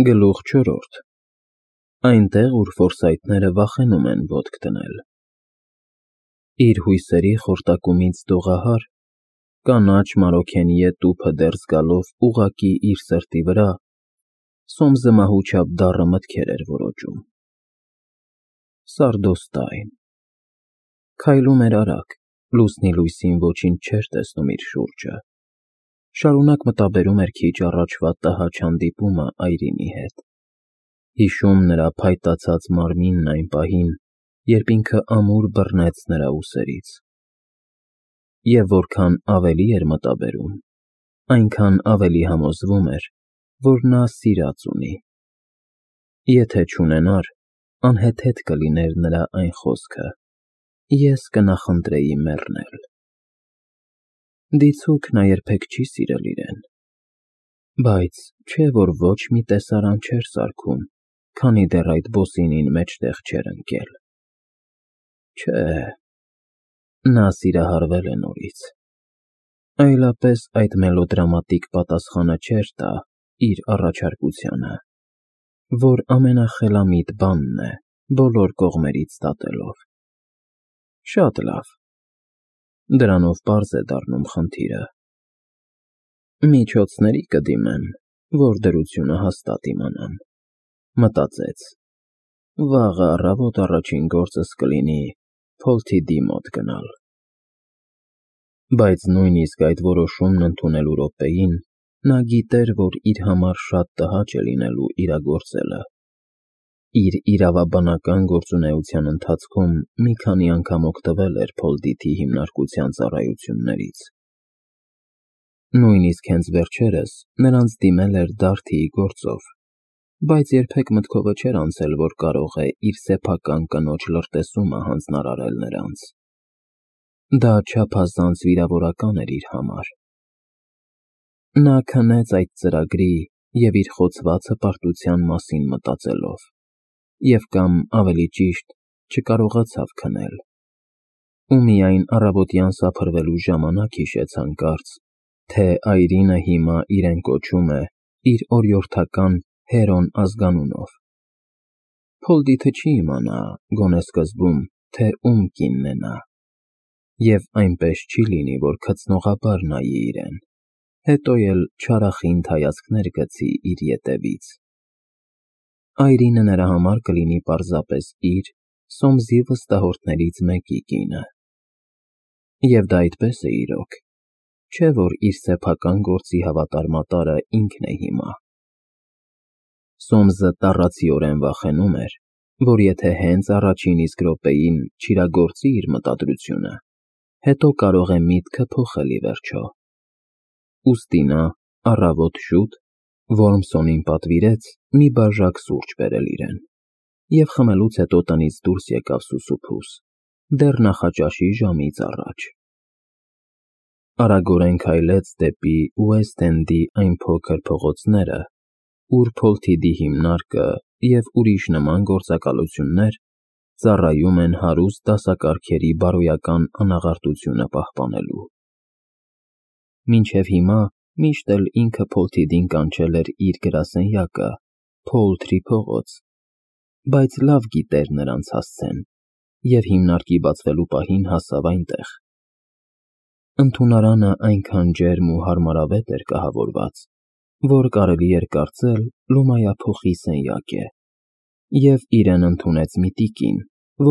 Գլուխ 4. Այնտեղ, ուր ֆորսայթները վախենում են ոտք դնել։ Իր հույսերի խորտակումից դողահար, կանաչ մարոքենիե տուփը դեռ զգալով ուղղակի իր սրտի վրա, Սոմսը մահու չափ դառը մտքեր էր որոճում։ Սարդոստայն։ Քայլում էր արագ, լուսնի լույսին ոչինչ չէր տեսնում իր շուրջը։ Շարունակ մտաբերում էր քիչ առաջվա տհաճ հանդիպումը Այրինի հետ։ Հիշում նրա փայտացած մարմինն այն պահին, երբ ինքը ամուր բռնեց նրա ուսերից։ Եվ որքան ավելի էր մտաբերում, այնքան ավելի համոզվում էր, որ նա սիրած ունի։ Եթե չունենար, անհեթեթ կլիներ նրա այն խոսքը. «Ես կնախընտրեի մեռնել»։ Դիցուք նա երբեք չի սիրել իրեն։ Բայց չէ՞ որ ոչ մի տեսարան չէր սարքում, քանի դեռ այդ բոսինին մեջտեղ չէր ընկել։ Չէ, նա սիրահարվել է նորից։ Այլապես այդ մելոդրամատիկ պատասխանը չէր տա իր առաջարկությանը, որ ամենախելամիտ բանն է բոլոր կողմերից դատելով։ Շատ լավ։ Դրանով պարզ է դառնում խնդիրը։ Միջոցների կդիմեմ, որ դրությունը հաստատ իմանամ, մտածեց։ Վաղը առավոտ առաջին գործս կլինի Փոլթիդի մոտ գնալ։ Բայց նույնիսկ այդ որոշումն ընդունելու րոպեին նա գիտեր, որ իր համար շատ տհաճ է լինելու իրագործելը։ Իր իրավաբանական գործունեության ընթացքում մի քանի անգամ օգտվել էր Փոլդիթի հիմնարկության ծառայություններից։ Նույնիսկ հենց վերջերս նրանց դիմել էր Դարթիի գործով, բայց երբեք մտքովը չէր անցել, որ կարող է իր սեփական կնոջ լրտեսումը հանձնարարել նրանց։ Դա չափազանց վիրավորական էր իր համար։ Նա քնեց այդ ծրագրի և իր խոցված հպարտության մասին մտածելով, և կամ ավելի ճիշտ, չկարողացավ քնել։ Ու միայն առավոտյան սափրվելու ժամանակ հիշեց հանկարծ, թե Այրինը հիմա իրեն կոչում է իր օրիորդական Հերոն ազգանունով։ Փոլդիթը չի իմանա, գոնե սկզբում, թե ում կինն է նա, և այնպես չի լինի, որ քծնողաբար նայի իրեն, հետո էլ չարախինդ հայացքներ գցի իր ետևից։ Այրինը նրա համար կլինի պարզապես իր, Սոմսի վստահորդներից մեկի կինը։ Եվ դա այդպես է իրոք, չէ՞ որ իր սեփական գործի հավատարմատարը ինքն է հիմա։ Սոմսը տառացիորեն վախենում էր, որ եթե հենց առաջին իսկ րոպեին չիրագործի իր մտադրությունը, հետո կարող է միտքը փոխել ի վերջո։ Ուստի նա առավոտ շուտ Որմսոնին պատվիրեց մի բաժակ սուրճ բերել իրեն, և խմելուց հետո տնից դուրս եկավ սուսուփուս, դեռ նախաճաշի ժամից առաջ։ Արագորեն քայլեց դեպի Ուեսթ Էնդի այն փոքր փողոցները, ուր Փոլթիդի հիմնարկը և ուրիշ նման գործակալություններ ծառայում են հարուստ դասակարգերի բարոյական անաղարտությունը պահպանելու։ Մինչև հիմա միշտ էլ ինքը Փոլթիդին կանչել էր իր գրասենյակը Փոլթրի փողոց, բայց լավ գիտեր նրանց հասցեն և հիմնարկի բացվելու պահին հասավ այնտեղ։ Ընդունարանը այնքան ջերմ ու հարմարավետ էր կահավորված, որ կարելի էր կարծել լումայափոխի սենյակ է, և իրեն ընդունեց մի տիկին,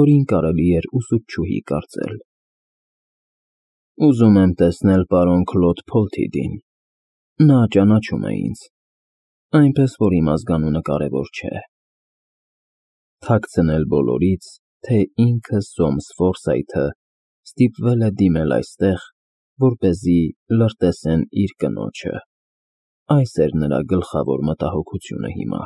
որին կարելի էր ուսուցչուհի կարծել։ Ուզում եմ տեսնել պարոն Քլոդ Փոլթիդին, նա ճանաչում է ինձ, այնպես որ իմ ազգանունը կարևոր չէ։ Թաքցնել բոլորից, թե ինքը Սոմս Ֆորսայթը ստիպվել է դիմել այստեղ, որպեսզի լրտեսեն իր կնոջը։ Այս էր նրա գլխավոր մտահոգությունը հիմա։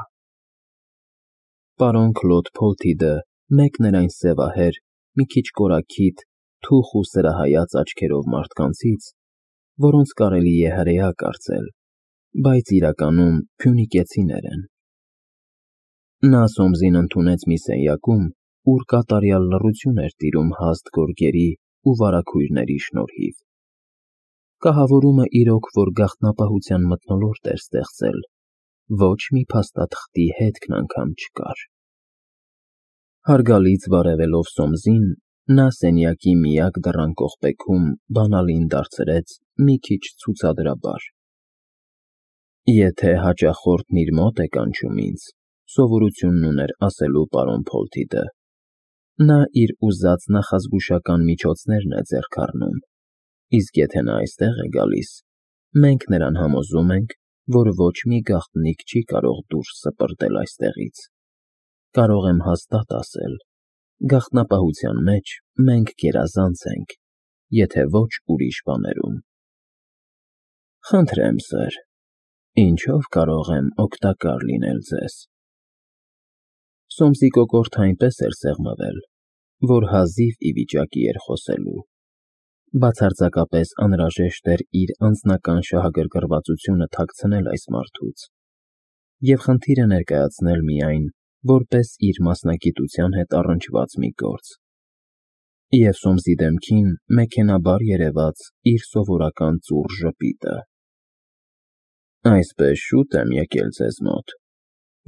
Պարոն Քլոդ Փոլթիդը մեկն էր այն սևահեր, մի քիչ կորաքիթ, թուխ ու սրահայաց աչքերով մարդկանցից, որոնց կարելի է հրեա կարծել, բայց իրականում փյունիկեցիներ են։ Նա Սոմսին ընդունեց մի սենյակում, ուր կատարյալ լռություն էր տիրում հաստ գորգերի ու վարագույրների շնորհիվ։ Կահավորումը իրոք որ գաղտնապահության մթնոլորտ էր ստեղծել, ոչ մի փաստաթղթի հետքն անգամ չկար։ Հարգալից բարևելով Սոմսին, նա սենյակի միակ դռան կողպեքում բանալին դարձրեց մի քիչ ցուցադրաբար։ Եթե հաճախորդն իր մոտ է կանչում ինձ, սովորությունն ուներ ասելու պարոն Փոլթիդը, նա իր ուզած նախազգուշական միջոցներն է ձեռք առնում, իսկ եթե նա այստեղ է գալիս, մենք նրան համոզում ենք, որ ոչ մի գաղտնիք չի կարող դուրս սպրտել այստեղից։ Կարող եմ հաստատ ասել, գաղտնապահության մեջ մենք գերազանց ենք, եթե ոչ ուրիշ բաներում։ Խնդրեմ, սըր, ինչով կարող եմ օգտակար լինել ձեզ։ Սոմսի կոկորդը այնպես էր սեղմվել, որ հազիվ ի վիճակի էր խոսելու։ Բացարձակապես անհրաժեշտ էր իր անձնական շահագրգռվածությունը թաքցնել այս մարդուց և խնդիրը ներկայացնել միայն որպես իր մասնագիտության հետ առնչված մի գործ, և Սոմսի դեմքին մեքենաբար երևաց իր սովորական ծուռ ժպիտը։ Այսպես շուտ եմ եկել ձեզ մոտ,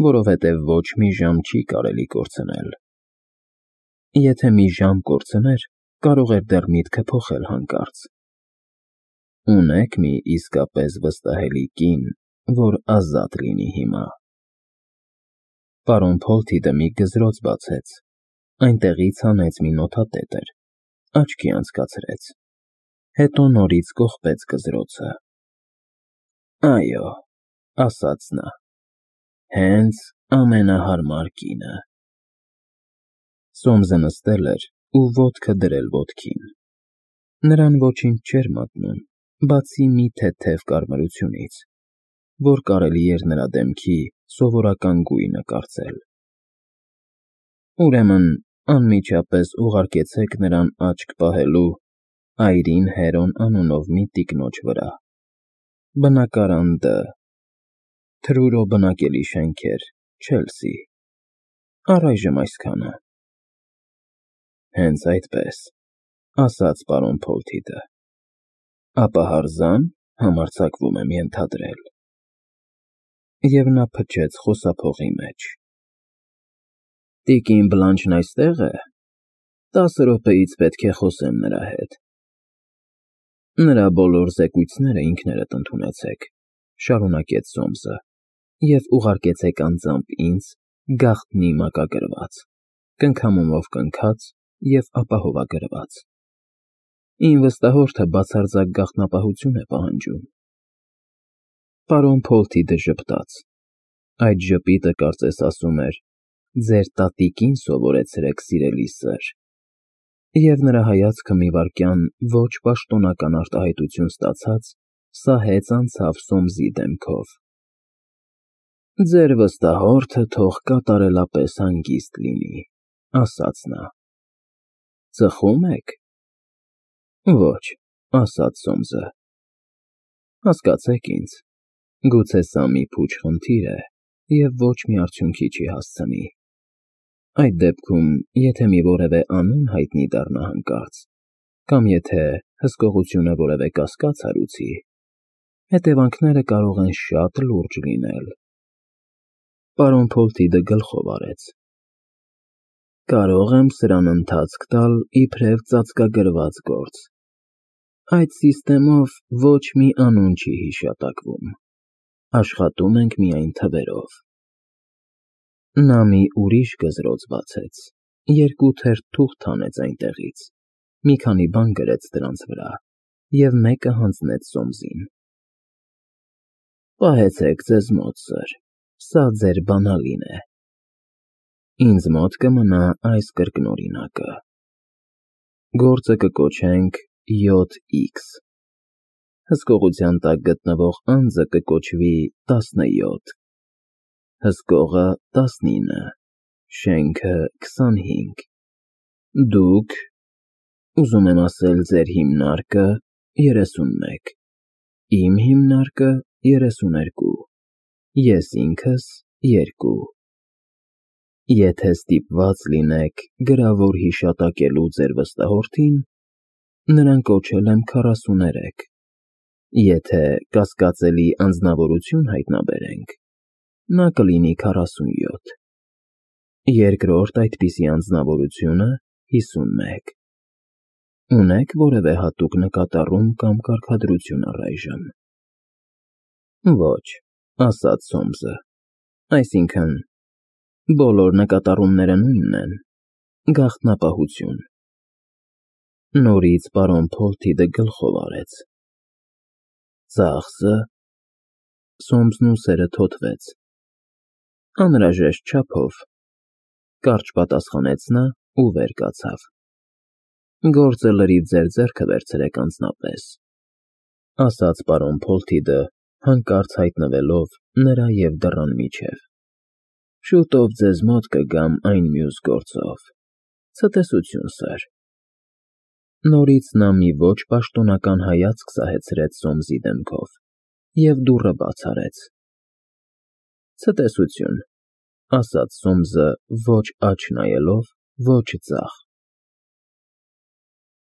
որովհետև ոչ մի ժամ չի կարելի կորցնել։ Եթե մի ժամ կորցներ, կարող էր դեռ միտքը փոխել հանկարծ։ Ունեք մի իսկապես վստահելի կին, որ ազատ լինի հիմա։ Պարոն Փոլթիդը մի գզրոց բացեց, այնտեղից հանեց մի նոթատետր, աչքի անցկացրեց, հետո նորից կողպեց գզրոցը։ Այո, ասաց նա, հենց ամենահարմար կինը։ Սոմսը նստել էր ու ոտքը դրել ոտքին։ Նրան ոչինչ չէր մատնում, բացի մի թեթև կարմրությունից, որ կարելի էր նրա դեմքի սովորական գույնը կարծել։ Ուրեմն անմիջապես ուղարկեցեք նրան աչք պահելու Այրին Հերոն անունով մի տիկնոջ վրա։ Բնակարան Դ. Թրուրո բնակելի շենքեր, Չելսի։ Առայժմ այսքանը։ Հենց այդպես, ասաց պարոն Փոլթիդը։ Ապա հարզան համարձակվում եմ ենթադրել։ Եվ նա փչեց խոսափողի մեջ։ Տիկին Բլանչն այստե՞ղ է։ 10 րոպեից պետք է խոսեմ նրա հետ։ Նրա բոլոր զեկույցները ինքներդ ընդունեցեք, շարունակեց Սոմսը, և ուղարկեցեք անձամբ ինձ գաղտնի մակագրված, կնքամումով կնքած և ապահովագրված։ Իմ վստահորդը բացարձակ գաղտնապահություն է պահանջում։ Պարոն Փոլթիդը ժպտաց։ Այդ ժպիտը կարծես ասում էր. ձեր տատիկին սովորեցրեք, սիրելի սըր, և նրա հայացքը մի վայրկյան ոչ պաշտոնական արտահայտություն ստացած, սահեց անցավ Սոմսի դեմքով։ Ձեր վստահորդը թող կատարելապես հանգիստ լինի, ասաց նա։ Ծխո՞ւմ եք։ Ոչ, ասաց Սոմսը։ Հասկացեք ինձ, գուցե սա մի փուչ խնդիր է և ոչ մի արդյունքի չի հասցնի։ Այդ դեպքում, եթե մի որևէ անուն հայտնի դառնա հանկարծ, կամ եթե հսկողությունը որևէ կասկած հարուցի, հետևանքները կարող են շատ լուրջ լինել։ Պարոն Փոլթիդը գլխով արեց։ Կարող եմ սրան ընթացք տալ իբրև ծածկագրված գործ։ Այդ սիստեմով ոչ մի անուն չի հիշատակվում։ Աշխատում ենք միայն թվերով։ Նա մի ուրիշ գզրոց բացեց, 2 թերթ թուղթ հանեց այնտեղից, մի քանի բան գրեց դրանց վրա և մեկը հանձնեց Սոմսին։ Պահեցեք ձեզ մոտ, սըր, սա ձեր բանալին է։ Ինձ մոտ կմնա այս կրկնօրինակը։ Գործը կկոչենք 7X։ Հսկողության տակ գտնվող անձը կկոչվի 17, հսկողը 19, շենքը 25։ Դուք, ուզում եմ ասել, ձեր հիմնարկը 31, իմ հիմնարկը 32, ես ինքս 2։ Եթե ստիպված լինեք գրավոր հիշատակելու ձեր վստահորդին, նրան կոչել եմ 43, եթե կասկածելի անձնավորություն հայտնաբերենք, նա կլինի 47, երկրորդ այդպիսի անձնավորությունը 51։ Ունեք որևէ հատուկ նկատառում կամ կարգադրություն առայժմ։ Ոչ, ասաց Սոմսը, այսինքն, բոլոր նկատառումները նույնն են, գաղտնապահություն։ Նորից պարոն Փոլթիդը գլխով արեց։ Ծախսը… Սոմսն ուսերը թոթվեց։ Անհրաժեշտ չափով, կարճ պատասխանեց նա ու վեր կացավ։ Գործը լրիվ ձեր ձեռքը վերցրեք անձնապես, ասաց պարոն Փոլթիդը, հանկարծ հայտնվելով նրա և դռան միջև։ Շուտով ձեզ մոտ կգամ այն մյուս գործով։ Ցտեսություն, սըր։ Նորից նա մի ոչ պաշտոնական հայացք սահեցրեց Սոմսի դեմքով և դուռը բաց արեց։ Ցտեսություն, ասաց Սոմսը ոչ աջ նայելով, ոչ ձախ։